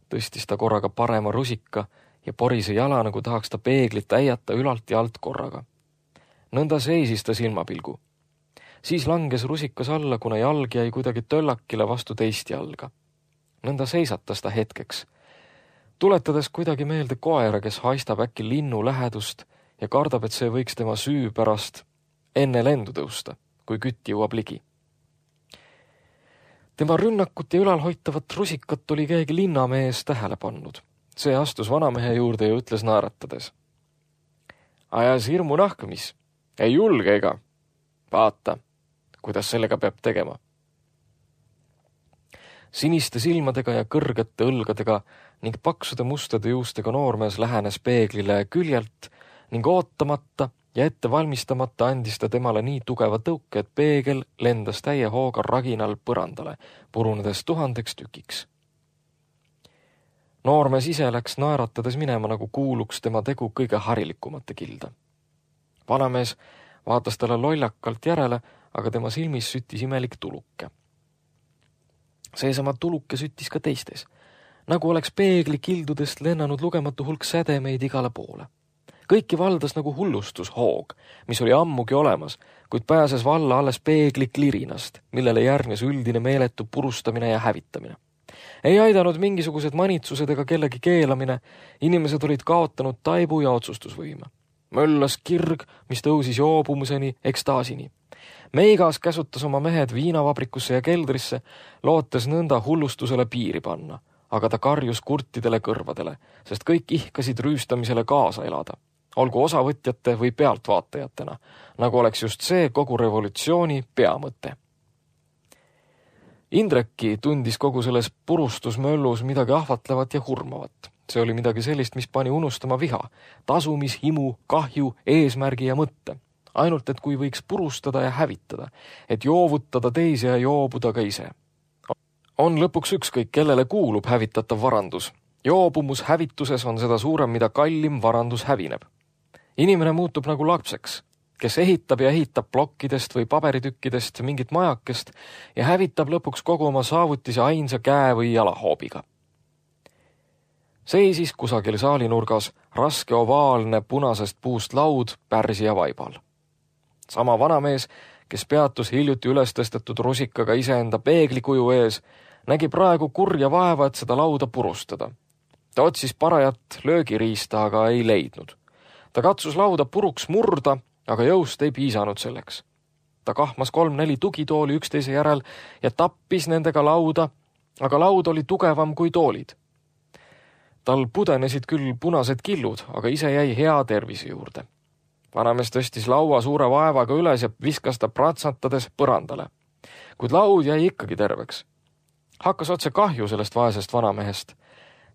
tõstis ta korraga parema rusika ja porise jala, nagu tahaks ta peeglit äiata ülalt ja alt korraga. Nõnda seisis ta silmapilgu. Siis langes rusikas alla, kuna jalg jäi kuidagi töllakile vastu teist jalga. Nõnda seisatas ta hetkeks, tuletades kuidagi meelde koera, kes haistab äkki linnu lähedust ja kardab, et see võiks tema süü pärast enne lendu tõusta, kui kütt jõuab ligi. Tema rünnakut ja ülalhoitavat rusikat oli keegi linnamees tähele pannud. See astus vanamehe juurde ja ütles naeratades. Ajas hirmu nahkmis, ei julge ega. Vaata, kuidas sellega peab tegema. Siniste silmadega ja kõrgete õlgadega ning paksude mustade juustega noormees lähenes peeglile küljelt ning ootamata ja ette valmistamata andis ta temale nii tugeva tõuke, et peegel lendas täie hooga raginal põrandale, purunedes tuhandeks tükiks. Noormees ise läks naeratades minema, nagu kuuluks tema tegu kõige harilikumate kilda. Vanamees vaatas talle lollakalt järele, aga tema silmis süttis imelik tuluke. Seesama tuluke süttis ka teistes, nagu oleks peegli kildudest lennanud lugematu hulk sädemeid igale poole. Kõiki valdas nagu hullustushoog, mis oli ammugi olemas, kuid pääses valla alles peegli klirinast, millele järgnes üldine meeletu purustamine ja hävitamine. Ei aidanud mingisugused manitsused ega kellegi keelamine, inimesed olid kaotanud taibu ja otsustusvõime. Möllas kirg, mis tõusis joobumuseni, ekstaasini. Meigas käsutas oma mehed viinavabrikusse ja keldrisse, lootes nõnda hullustusele piiri panna, aga ta karjus kurtidele kõrvadele, sest kõik ihkasid rüüstamisele kaasa elada, olgu osavõtjate või pealtvaatajatena, nagu oleks just see kogu revolutsiooni peamõte. Indreki tundis kogu selles purustusmöllus midagi ahvatlevat ja hurmavat. See oli midagi sellist, mis pani unustama viha, tasumishimu, kahju, eesmärgi ja mõtte. Ainult, et kui võiks purustada ja hävitada, et joovutada teisi ja joobuda ka ise. On lõpuks ükskõik, kellele kuulub hävitatav varandus. Joobumus hävituses on seda suurem, mida kallim varandus hävineb. Inimene muutub nagu lapseks, kes ehitab ja ehitab plokkidest või paberitükkidest mingit majakest ja hävitab lõpuks kogu oma saavutise ainsa käe või jalahoobiga. Seisis kusagil saalinurgas raske ovaalne punasest puust laud pärsija vaibal. Sama vanamees, kes peatus hiljuti üles tõstetud rusikaga iseenda peeglikuju ees, nägi praegu kurja vaeva, et seda lauda purustada. Ta otsis parajat löögiriista, aga ei leidnud. Ta katsus lauda puruks murda, aga jõust ei piisanud selleks. Ta kahmas kolm-neli tugitooli üksteise järel ja tappis nendega lauda, aga laud oli tugevam kui toolid. Tal pudenesid küll punased killud, aga ise jäi hea tervise juurde. Vanamees tõstis laua suure vaevaga üles ja viskas ta pratsatades põrandale. Kuid laud jäi ikkagi terveks. Hakkas otse kahju sellest vaesest vanamehest.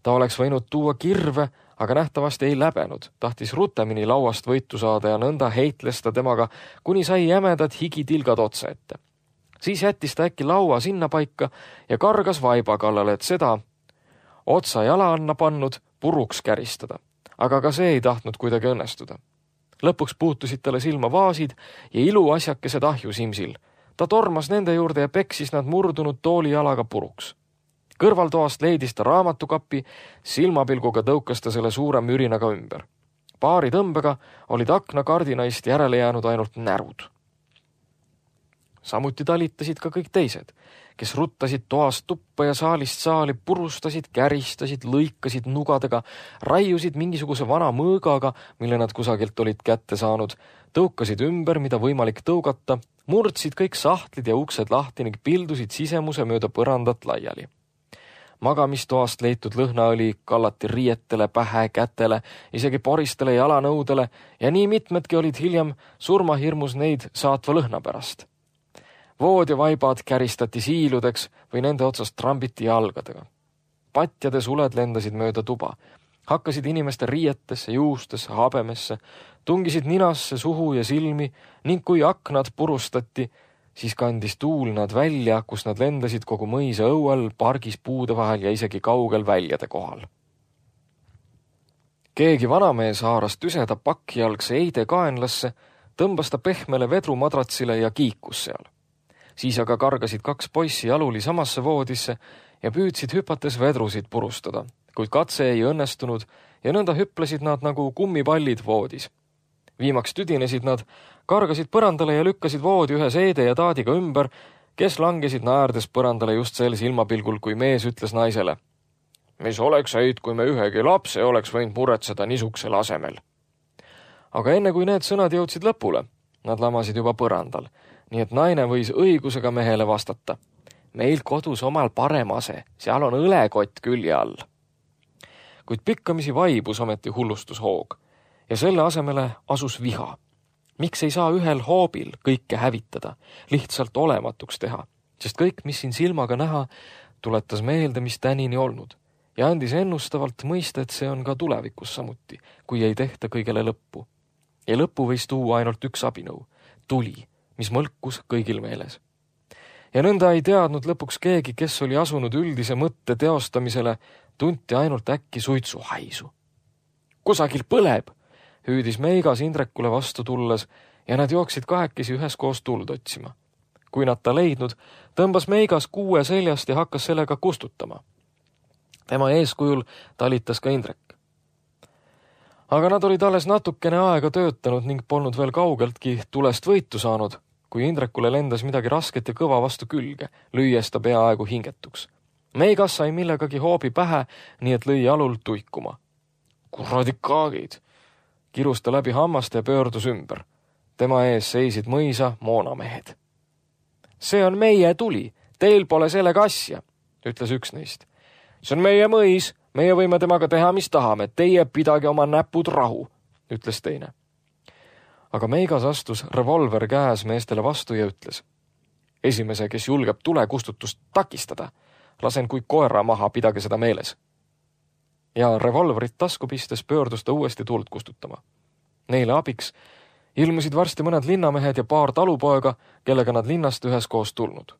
Ta oleks võinud tuua kirve, aga nähtavasti ei läbenud. Tahtis rutemini lauast võitu saada ja nõnda heitles ta temaga, kuni sai jämedad higitilgad otsa ette. Siis jättis ta äkki laua sinna paika ja kargas vaiba kallale, et seda otsa jala anna pannud puruks käristada. Aga ka see ei tahtnud kuidagi õnnestuda. Lõpuks puutusid talle silma vaasid ja iluasjakesed ahju Simsil. Ta tormas nende juurde ja peksis nad murdunud tooli jalaga puruks. Kõrvaltoast leidis ta raamatukapi, silmapilguga tõukas ta selle suure mürinaga ümber. Paari tõmbega olid akna kardinaist järele jäänud ainult närud. Samuti talitasid ka kõik teised, kes ruttasid toast tuppa ja saalist saali, purustasid, käristasid, lõikasid nugadega, raiusid mingisuguse vana mõõgaga, mille nad kusagilt olid kätte saanud, tõukasid ümber, mida võimalik tõugata, murdsid kõik sahtlid ja uksed lahti ning pildusid sisemuse mööda põrandat laiali. Magamistoast leitud lõhnaõli kallati riietele, pähe, kätele, isegi poristele jalanõudele ja nii mitmedki olid hiljem surmahirmus neid saatva lõhna pärast. Vood ja vaibad käristati siiludeks või nende otsast trambiti jalgadega. Patjade suled lendasid mööda tuba, hakkasid inimeste riietesse, juustesse, habemesse, tungisid ninasse, suhu ja silmi ning kui aknad purustati, siis kandis tuul nad välja, kus nad lendasid kogu mõisa õuel, pargis puude vahel ja isegi kaugel väljade kohal. Keegi vanamees haaras tüseda pakkjalgse eide kaenlasse, tõmbas ta pehmele vedrumadratsile ja kiikus seal. Siis aga kargasid kaks poissi jaluli samasse voodisse ja püüdsid hüpates vedrusid purustada, kuid katse ei õnnestunud ja nõnda hüplesid nad nagu kummipallid voodis. Viimaks tüdinesid nad, kargasid põrandale ja lükkasid voodi ühe seede ja taadiga ümber, kes langesid naerdes põrandale just sel silmapilgul, kui mees ütles naisele: "Mis oleks häid, kui me ühegi lapse oleks võinud muretseda niisuksel asemel." Aga enne kui need sõnad jõudsid lõpule, nad lamasid juba põrandal, nii et naine võis õigusega mehele vastata: "Meil kodus omal parem ase, seal on õlekott külje all." Kuid pikkamisi vaibus ometi hullustushoog ja selle asemele asus viha. Miks ei saa ühel hoobil kõike hävitada, lihtsalt olematuks teha, sest kõik, mis siin silmaga näha, tuletas meelde, mis tänini olnud ja andis ennustavalt mõista, et see on ka tulevikus samuti, kui ei tehta kõigele lõppu. Ja lõppu võis tuua ainult üks abinõu, tuli, mis mõlkus kõigil meeles. Ja nõnda ei teadnud lõpuks keegi, kes oli asunud üldise mõtte teostamisele, tunti ainult äkki suitsuhaisu. "Kusagil põleb!" hüüdis Meigas Indrekule vastu tulles ja nad jooksid kahekesi üheskoos tuld otsima. Kui nad ta leidnud, tõmbas Meigas kuue seljast ja hakkas sellega kustutama. Tema eeskujul talitas ka Indrek. Aga nad olid alles natukene aega töötanud ning polnud veel kaugeltki tulest võitu saanud, kui Indrekule lendas midagi rasket ja kõva vastu külge, lüües ta peaaegu hingetuks. Meigas sai millegagi hoobi pähe, nii et lõi jalul tuikuma. "Kuradi kaagid!" kirus ta läbi hammaste ja pöördus ümber. Tema ees seisid mõisa moonamehed. "See on meie tuli, teil pole sellega asja," ütles üks neist. "See on meie mõis, meie võime temaga teha, mis tahame, teie pidage oma näpud rahu," ütles teine. Aga Meigas astus revolver käes meestele vastu ja ütles: "Esimese, kes julgeb tule kustutust takistada, lasen kui koera maha, pidage seda meeles." Ja revolverit tasku pistes pöördus ta uuesti tuld kustutama. Neile abiks ilmusid varsti mõned linnamehed ja paar talupoega, kellega nad linnast üheskoos tulnud.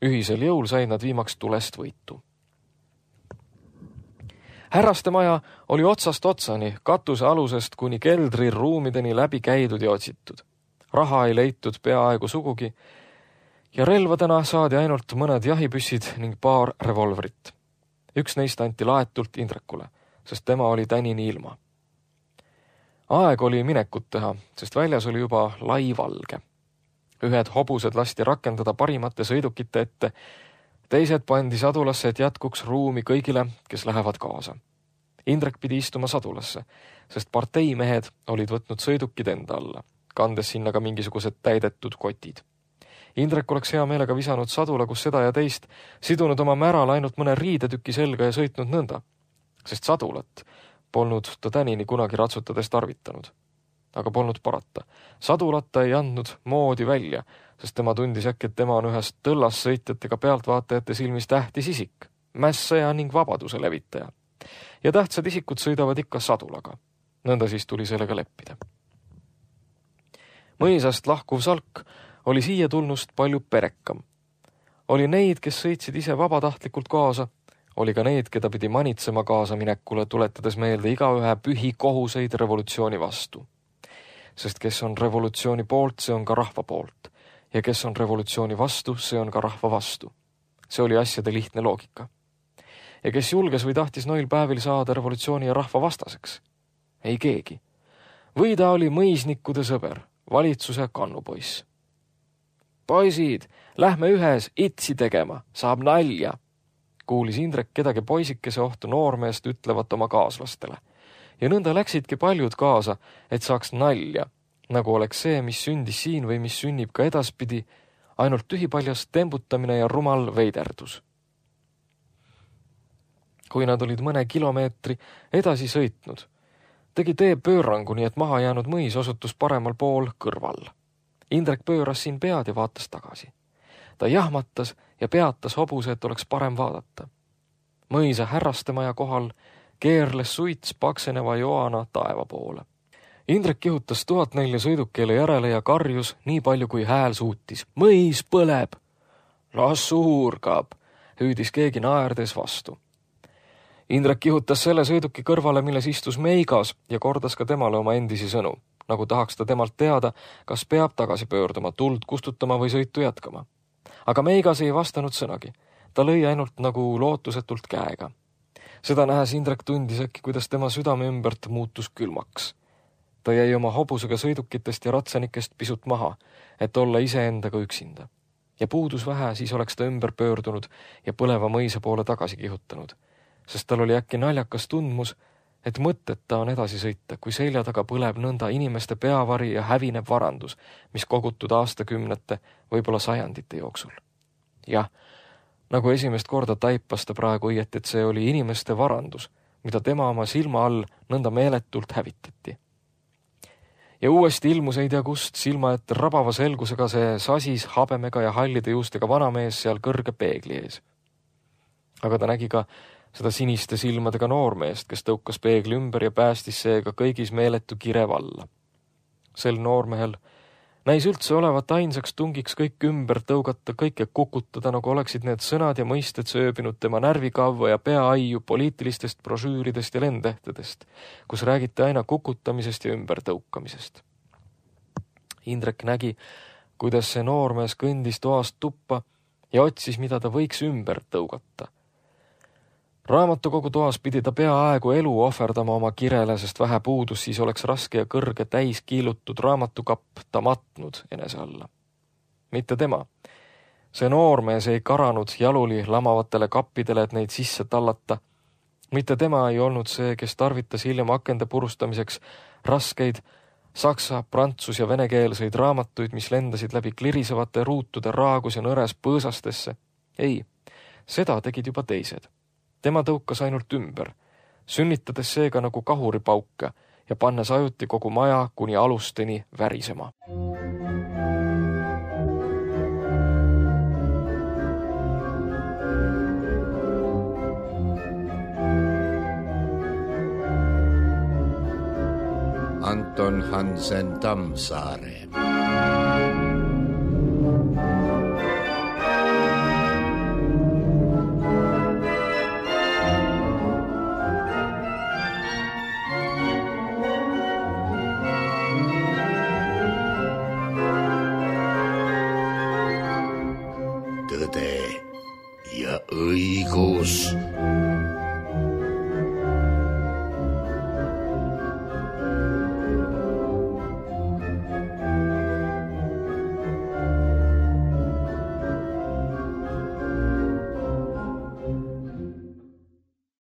Ühisel jõul said nad viimaks tulest võitu. Härraste maja oli otsast otsani, katuse alusest kuni keldri ruumideni läbi käidud ja otsitud. Raha ei leitud peaaegu sugugi ja relvadena saadi ainult mõned jahipüssid ning paar revolverit. Üks neist anti laetult Indrekule, sest tema oli tänini ilma. Aeg oli minekut teha, sest väljas oli juba lai valge. Ühed hobused lasti rakendada parimate sõidukite ette, teised pandi sadulasse, et jätkuks ruumi kõigile, kes lähevad kaasa. Indrek pidi istuma sadulasse, sest parteimehed olid võtnud sõidukid enda alla, kandes sinna ka mingisugused täidetud kotid. Indrek oleks hea meelega visanud sadula, kus seda ja teist, sidunud oma märal ainult mõne riidetüki selga ja sõitnud nõnda, sest sadulat polnud ta tänini kunagi ratsutades tarvitanud. Aga polnud parata. Sadulata ei andnud moodi välja, sest tema tundis äkki, et tema on ühest tõllas sõitjatega pealtvaatajate silmis tähtis isik, mässaja ning vabaduse levitaja. Ja tähtsad isikud sõidavad ikka sadulaga. Nõnda siis tuli sellega leppida. Mõisast lahkuv salk oli siia tulnust palju perekam. Oli neid, kes sõitsid ise vabatahtlikult kaasa, oli ka neid, keda pidi manitsema kaasa minekule, tuletades meelde igaühe pühi kohuseid revolutsiooni vastu. Sest kes on revolutsiooni poolt, see on ka rahva poolt. Ja kes on revolutsiooni vastu, see on ka rahva vastu. See oli asjade lihtne loogika. Ja kes julges või tahtis noil päevil saada revolutsiooni ja rahva vastaseks? Ei keegi. Või ta oli mõisnikkude sõber, valitsuse kannupoiss. Poisid, lähme ühes itsi tegema, saab nalja, kuulis Indrek kedagi poisikese ohtu noormeest ütlevat oma kaaslastele. Ja nõnda läksidki paljud kaasa, et saaks nalja, nagu oleks see, mis sündis siin või mis sünnib ka edaspidi, ainult tühipaljas tembutamine ja rumal veiderdus. Kui nad olid mõne kilomeetri edasi sõitnud, tegi tee pöörangu, nii et maha jäänud mõis osutus paremal pool kõrval. Indrek pööras siin pead ja vaatas tagasi. Ta jahmatas ja peatas hobuse, et oleks parem vaadata. Mõisa härrastemaja kohal keerles suits pakseneva joana taeva poole. Indrek kihutas tuhat nelja sõidukeele järele ja karjus nii palju, kui hääl suutis. Mõis põleb! Las suurgab! Hüüdis keegi naerdes vastu. Indrek kihutas selle sõiduki kõrvale, milles istus Meigas ja kordas ka temale oma endisi sõnu, nagu tahaks ta temalt teada, kas peab tagasi pöörduma, tuld kustutama või sõitu jätkama. Aga Meigas ei vastanud sõnagi. Ta lõi ainult nagu lootusetult käega. Seda nähes Indrek tundis äkki, kuidas tema südame ümbert muutus külmaks. Ta jäi oma hobusega sõidukitest ja ratsanikest pisut maha, et olla iseendaga üksinda. Ja puudus vähe, siis oleks ta ümber pöördunud ja põleva mõisa poole tagasi kihutanud, sest tal oli äkki naljakas tundmus, et mõtteta on edasi sõita, kui selja taga põleb nõnda inimeste peavari ja hävineb varandus, mis kogutud aastakümnete, võib-olla sajandite jooksul. Jah, nagu esimest korda taipas ta praegu õieti, et see oli inimeste varandus, mida tema oma silma all nõnda meeletult hävitati. Ja uuesti ilmus ei tea kust silma, et rabava selgusega see sasis habemega ja hallide juustega vanamees seal kõrge peegli ees. Aga ta nägi ka seda siniste silmadega noormeest, kes tõukas peegli ümber ja päästis seega kõigis meeletu kirev alla. Sel noormehel näis üldse olevat ainsaks tungiks kõik ümber tõugata, kõike kukutada, nagu oleksid need sõnad ja mõisted sööbinud tema närvikavva ja peaaiu poliitilistest brošüüridest ja lendehtedest, kus räägiti aina kukutamisest ja ümber tõukamisest. Indrek nägi, kuidas see noormees kõndis toast tuppa ja otsis, mida ta võiks ümber tõugata. Raamatukogu toas pidi ta peaaegu elu ohverdama oma kirele, sest vähe puudus, siis oleks raske ja kõrge täis kiilutud raamatukapp ta matnud enese alla. Mitte tema. See noormees ei karanud jaluli lamavatele kappidele, et neid sisse tallata. Mitte tema ei olnud see, kes tarvitas hiljem akende purustamiseks raskeid saksa, prantsus ja venekeelseid raamatuid, mis lendasid läbi klirisevate ruutude raagus ja nõres põõsastesse. Ei, seda tegid juba teised. Tema tõukas ainult ümber, sünnitades seega nagu kahuripauka ja pannes ajuti kogu maja kuni alusteni värisema. Anton Hansen Tammsaare.